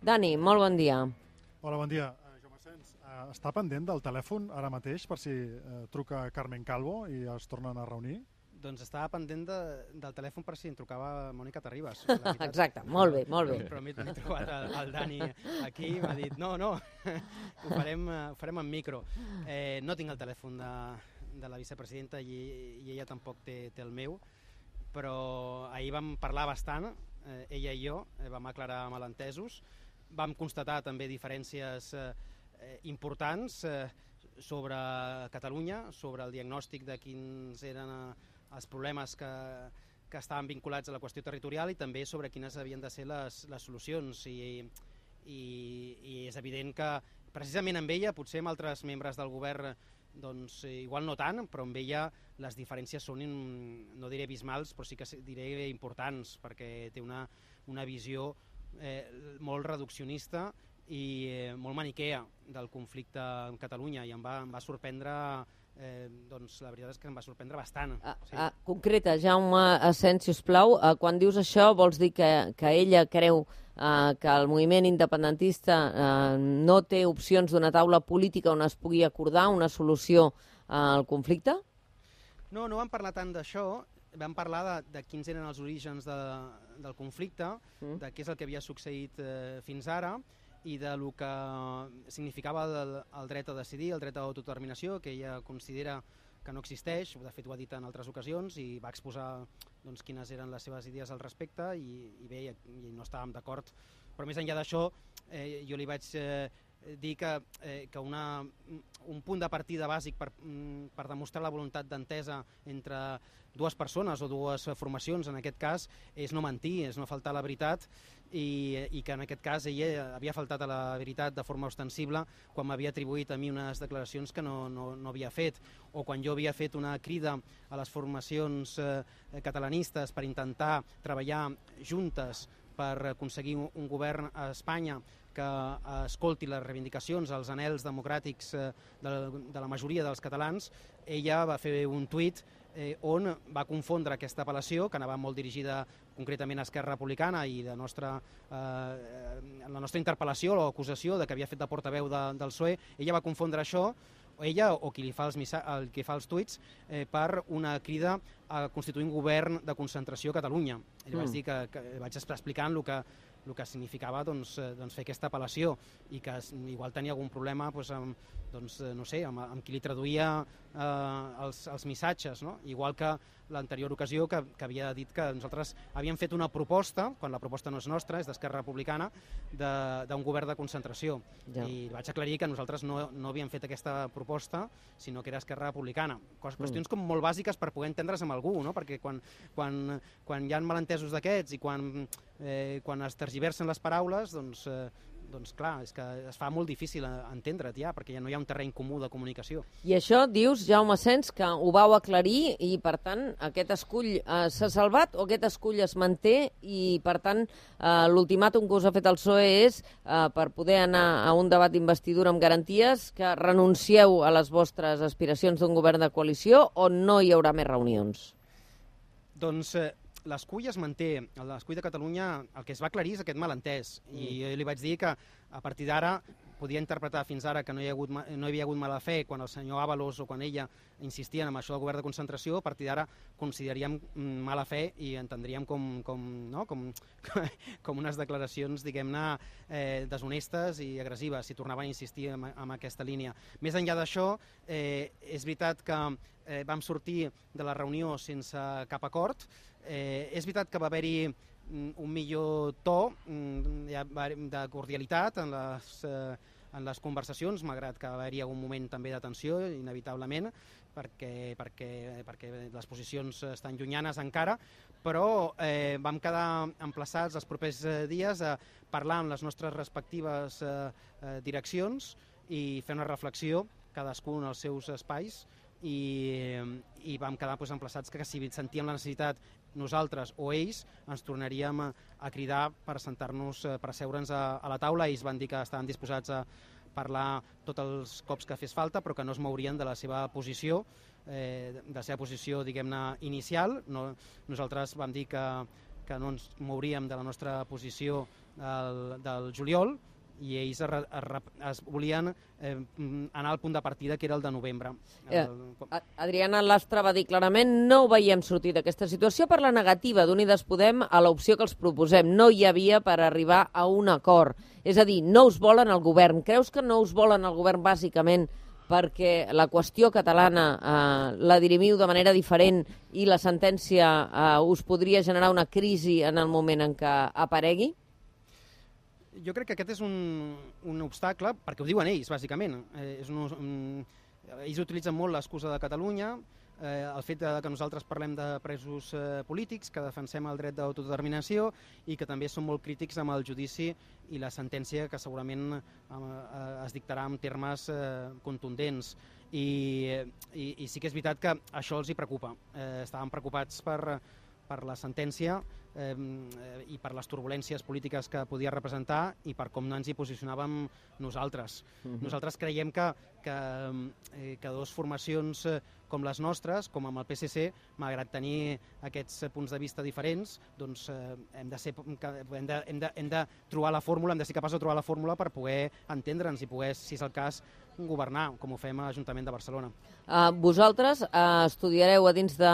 Dani, molt bon dia. Hola, bon dia. Jaume Sens, està pendent del telèfon ara mateix per si truca Carmen Calvo i es tornen a reunir? Doncs estava pendent del telèfon per si em trucava Mònica Terribas. Exacte, molt bé, molt bé. Però m'he trobat el Dani aquí i m'ha dit no, ho farem en micro. No tinc el telèfon de la vicepresidenta i ella tampoc té el meu, però ahir vam parlar bastant, ella i jo, vam aclarar malentesos, vam constatar també diferències importants sobre Catalunya, sobre el diagnòstic de quins eren els problemes que estaven vinculats a la qüestió territorial i també sobre quines havien de ser les solucions. I és evident que precisament amb ella, potser amb altres membres del govern doncs igual no tant, però amb ella les diferències són, no diré abismals, però sí que diré importants, perquè té una visió molt reduccionista i molt maniquea del conflicte amb Catalunya, i em va sorprendre, doncs la veritat és que em va sorprendre bastant. Concreta, Jaume Sens, sisplau, quan dius això vols dir que ella creu que el moviment independentista no té opcions d'una taula política on es pugui acordar una solució al conflicte? No vam parlar tant d'això, vam parlar de quins eren els orígens del conflicte, de què és el que havia succeït fins ara i de lo que significava el dret a decidir, el dret a l'autodeterminació, que ella considera que no existeix, de fet ho ha dit en altres ocasions i va exposar doncs, quines eren les seves idees al respecte i bé, i no estàvem d'acord. Però més enllà d'això, jo li vaig dir que un punt de partida bàsic per demostrar la voluntat d'entesa entre dues persones o dues formacions, en aquest cas, és no mentir, és no faltar a la veritat i que en aquest cas ella havia faltat a la veritat de forma ostensible quan m'havia atribuït a mi unes declaracions que no havia fet, o quan jo havia fet una crida a les formacions catalanistes per intentar treballar juntes per aconseguir un govern a Espanya que escolti les reivindicacions, els anhels democràtics de la majoria dels catalans. Ella va fer un tuit on va confondre aquesta apel·lació, que anava molt dirigida concretament a Esquerra Republicana i la nostra interpel·lació o acusació de que havia fet de portaveu del PSOE, ella va confondre això, ella o qui li fa els tuits, per una crida a constituir un govern de concentració a Catalunya. I vaig dir que vaig explicant el que significava fer aquesta apel·lació i que igual tenia algun problema amb qui li traduïa els missatges, igual que l'anterior ocasió que havia dit que nosaltres havíem fet una proposta, quan la proposta no és nostra, és d'Esquerra Republicana, d'un govern de concentració. I vaig aclarir que nosaltres no havíem fet aquesta proposta, sinó que era Esquerra Republicana. Qüestions com molt bàsiques per poder entendre's amb algú, perquè quan hi ha malentesos d'aquests i quan es tergiversen les paraules, doncs clar, és que es fa molt difícil entendre't ja, perquè ja no hi ha un terreny comú de comunicació. I això dius, Jaume Sens, que ho vau aclarir i, per tant, aquest escull s'ha salvat o aquest escull es manté i, per tant, l'ultimàtum que us ha fet el PSOE és, per poder anar a un debat d'investidura amb garanties, que renuncieu a les vostres aspiracions d'un govern de coalició o no hi haurà més reunions? Doncs l'escull es manté. L'escull de Catalunya, el que es va aclarir és aquest malentès. I jo li vaig dir que a partir d'ara podia interpretar fins ara que no hi havia hagut mala fe quan el senyor Ábalos o quan ella insistien en això del govern de concentració. A partir d'ara consideraríem mala fe i entendríem com unes declaracions, diguem-ne, deshonestes i agressives, si tornaven a insistir en aquesta línia. Més enllà d'això, és veritat que vam sortir de la reunió sense cap acord. És veritat que va haver-hi un millor to de cordialitat en les conversacions, malgrat que va haver-hi algun moment també de tensió, inevitablement, perquè les posicions estan llunyanes encara, però vam quedar emplaçats els propers dies a parlar amb les nostres respectives direccions i fer una reflexió, cadascú en els seus espais, i vam quedar emplaçats que si sentíem la necessitat nosaltres o ells ens tornaríem a cridar per asseure-nos a la taula. Ells van dir que estaven disposats a parlar tots els cops que fes falta, però que no es mourien de la seva posició, diguem-ne, inicial. Nosaltres vam dir que no ens mouríem de la nostra posició del juliol, i ells es volien anar al punt de partida, que era el de novembre. Adriana Lastra va dir clarament: no ho veiem sortir d'aquesta situació per la negativa d'Unides Podem a l'opció que els proposem. No hi havia per arribar a un acord. És a dir, no us volen al govern. Creus que no us volen al govern bàsicament perquè la qüestió catalana la dirimiu de manera diferent i la sentència us podria generar una crisi en el moment en què aparegui? Jo crec que aquest és un obstacle, perquè ho diuen ells, bàsicament. Ells utilitzen molt l'excusa de Catalunya, el fet que nosaltres parlem de presos polítics, que defensem el dret d'autodeterminació i que també són molt crítics amb el judici i la sentència, que segurament es dictarà en termes contundents. I sí que és veritat que això els hi preocupa. Estaven preocupats per la sentència i per les turbulències polítiques que podia representar i per com no ens hi posicionàvem nosaltres. Nosaltres creiem que dues formacions com les nostres, com amb el PSC, malgrat tenir aquests punts de vista diferents, doncs hem de trobar la fórmula, hem de ser capaços de trobar la fórmula per poder entendre'ns i poder, si és el cas, governar, com ho fem a l'Ajuntament de Barcelona. Vosaltres estudiareu a dins de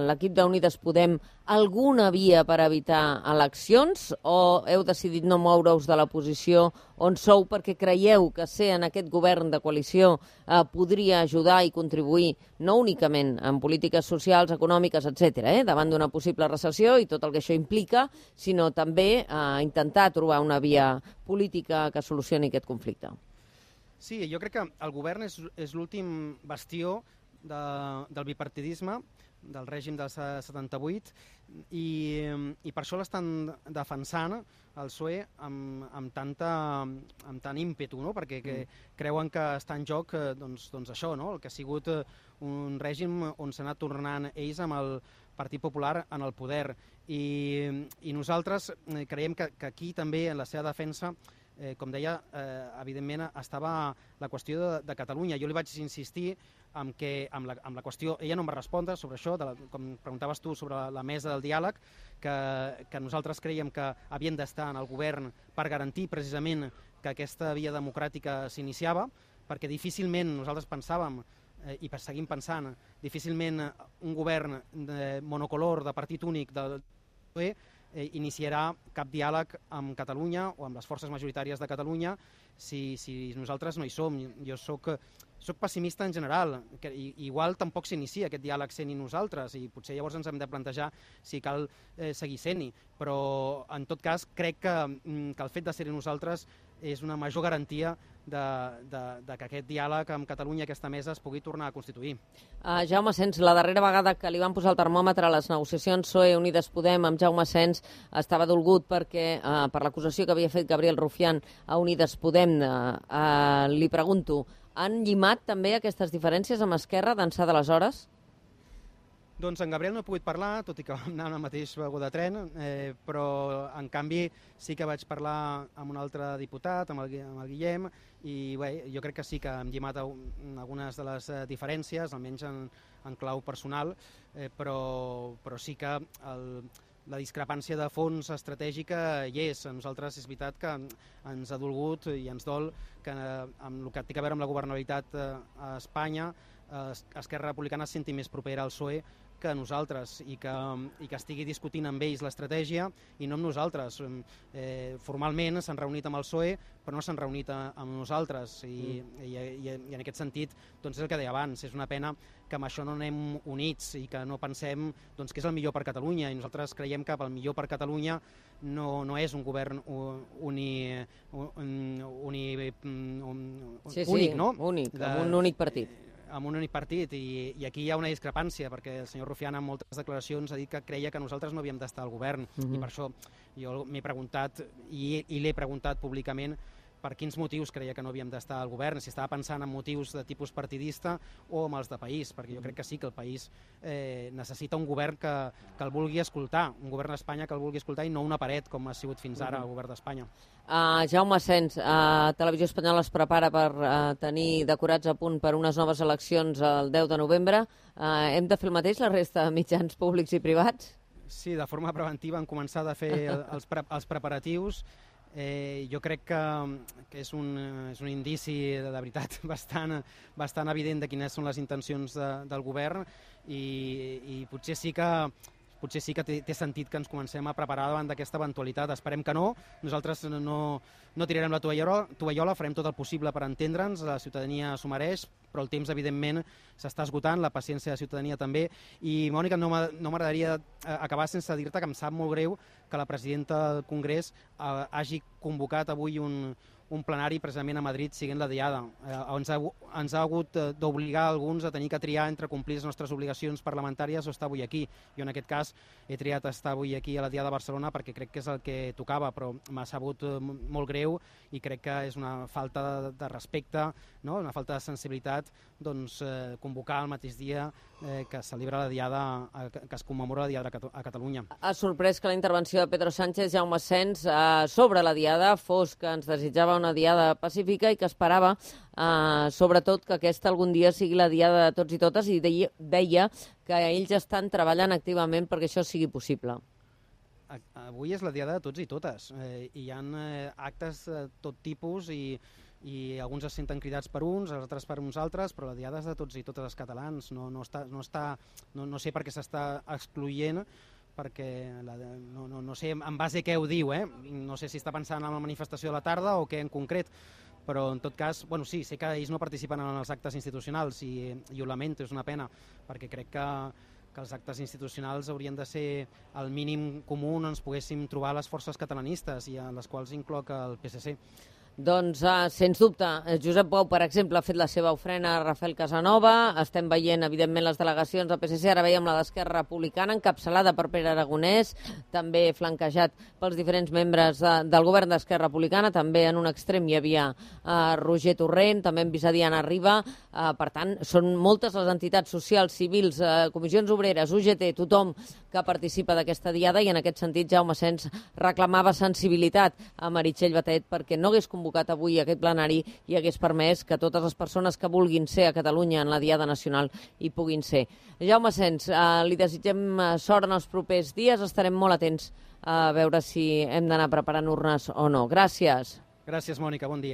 l'equip d'Unides Podem alguna via per evitar eleccions o heu decidit no moure-us de la posició on sou perquè creieu que ser en aquest govern de coalició podria ajudar i contribuir no únicament en polítiques socials, econòmiques, etc., davant d'una possible recessió i tot el que això implica, sinó també intentar trobar una via política que solucioni aquest conflicte? Sí, jo crec que el govern és l'últim bastió del bipartidisme, del règim del 78, i per això l'estan defensant el PSOE amb tant ímpetu, no? Perquè creuen que està en joc doncs això, no? El que ha sigut un règim on s'ha anat tornant ells amb el Partit Popular en el poder. I nosaltres creiem que aquí també en la seva defensa, com deia, evidentment estava la qüestió de Catalunya. Jo li vaig insistir amb la qüestió, ella no em va respondre sobre això, com preguntaves tu sobre la mesa del diàleg, que nosaltres creiem que havien d'estar en el govern per garantir precisament que aquesta via democràtica s'iniciava, perquè difícilment nosaltres pensàvem, i seguim pensant, difícilment un govern monocolor de partit únic del PSOE iniciarà cap diàleg amb Catalunya o amb les forces majoritàries de Catalunya si nosaltres no hi som. Jo soc pessimista en general, que igual tampoc s'inicia aquest diàleg sent-hi nosaltres i potser llavors ens hem de plantejar si cal seguir sent-hi, però en tot cas crec que el fet de ser-hi nosaltres és una major garantia que aquest diàleg amb Catalunya, aquesta mesa, es pugui tornar a constituir. Jaume Sens, la darrera vegada que li van posar el termòmetre a les negociacions PSOE-Unides Podem amb Jaume Sens estava dolgut perquè per l'acusació que havia fet Gabriel Rufián a Unides Podem. Li pregunto, han llimat també aquestes diferències amb Esquerra d'ençà d'aleshores? Doncs en Gabriel no he pogut parlar, tot i que vam anar al mateix vagó de tren, però en canvi sí que vaig parlar amb un altre diputat, amb el Guillem, i bé, jo crec que sí que hem llimat algunes de les diferències, almenys en clau personal, però sí que la discrepància de fons estratègica hi és. A nosaltres és veritat que ens ha dolgut i ens dol que amb el que té a veure amb la governabilitat a Espanya Esquerra Republicana es senti més propera al PSOE que nosaltres i que estigui discutint amb ells l'estratègia i no amb nosaltres. Formalment s'han reunit amb el PSOE però no s'han reunit amb nosaltres i en aquest sentit doncs és el que deia abans, és una pena que amb això no anem units i que no pensem doncs, què és el millor per Catalunya, i nosaltres creiem que el millor per Catalunya no és un govern únic, no? Únic, amb un únic partit. Amb un únic partit, i aquí hi ha una discrepància, perquè el senyor Rufián en moltes declaracions ha dit que creia que nosaltres no havíem d'estar al govern, i per això jo m'he preguntat, i l'he preguntat públicament, per quins motius creia que no havíem d'estar al govern, si estava pensant en motius de tipus partidista o amb els de país, perquè jo crec que sí que el país necessita un govern que el vulgui escoltar, un govern d'Espanya que el vulgui escoltar i no una paret com ha sigut fins ara el govern d'Espanya. Jaume Sens, Televisió Espanyola es prepara per tenir decorats a punt per unes noves eleccions el 10 de novembre. Hem de fer el mateix la resta de mitjans públics i privats? Sí, de forma preventiva hem començat a fer els preparatius Jo crec que és un indici de veritat bastant evident de quines són les intencions del govern i potser sí que té sentit que ens comencem a preparar davant d'aquesta eventualitat. Esperem que no. Nosaltres no tirarem la tovallola, farem tot el possible per entendre'ns, la ciutadania s'ho mereix, però el temps, evidentment, s'està esgotant, la paciència de la ciutadania també. I, Mònica, no m'agradaria acabar sense dir-te que em sap molt greu que la presidenta del Congrés hagi convocat avui un plenari precisament a Madrid siguent la Diada. Ens ha hagut d'obligar alguns a tenir que triar entre complir les nostres obligacions parlamentàries o estar avui aquí. Jo en aquest cas he triat estar avui aquí a la Diada de Barcelona perquè crec que és el que tocava, però m'ha sabut molt greu i crec que és una falta de respecte, no? Una falta de sensibilitat convocar el mateix dia que es celebra la Diada, que es commemora la Diada a Catalunya. Ha sorprès que la intervenció de Pedro Sánchez, Jaume Asens, sobre la Diada fos que ens desitjava una Diada pacífica i que esperava, sobretot, que aquesta algun dia sigui la Diada de tots i totes, i deia que ells estan treballant activament perquè això sigui possible. Avui és la Diada de tots i totes. Hi ha actes de tot tipus i alguns es senten cridats per uns, els altres per uns altres, però la Diada és de tots i totes els catalans. No sé per què s'està excloent, perquè no sé en base a què ho diu, no sé si està pensant en la manifestació de la tarda o què en concret, però en tot cas, sí, sé que ells no participen en els actes institucionals i ho lamento, és una pena, perquè crec que els actes institucionals haurien de ser el mínim comú on ens poguéssim trobar les forces catalanistes i en les quals incloc el PSC. Doncs, sens dubte, Josep Bou, per exemple, ha fet la seva ofrena a Rafael Casanova, estem veient, evidentment, les delegacions del PSC, ara veiem la d'Esquerra Republicana, encapçalada per Pere Aragonès, també flanquejat pels diferents membres del govern d'Esquerra Republicana, també en un extrem hi havia Roger Torrent, també hem vist a Diana Riba, per tant, són moltes les entitats socials, civils, comissions obreres, UGT, tothom que participa d'aquesta diada, i en aquest sentit Jaume Asens reclamava sensibilitat a Meritxell Batet perquè no hagués convocat avui aquest plenari i hagués permès que totes les persones que vulguin ser a Catalunya en la Diada Nacional hi puguin ser. Jaume Asens, li desitgem sort en els propers dies, estarem molt atents a veure si hem d'anar preparant urnes o no. Gràcies. Gràcies, Mònica, bon dia.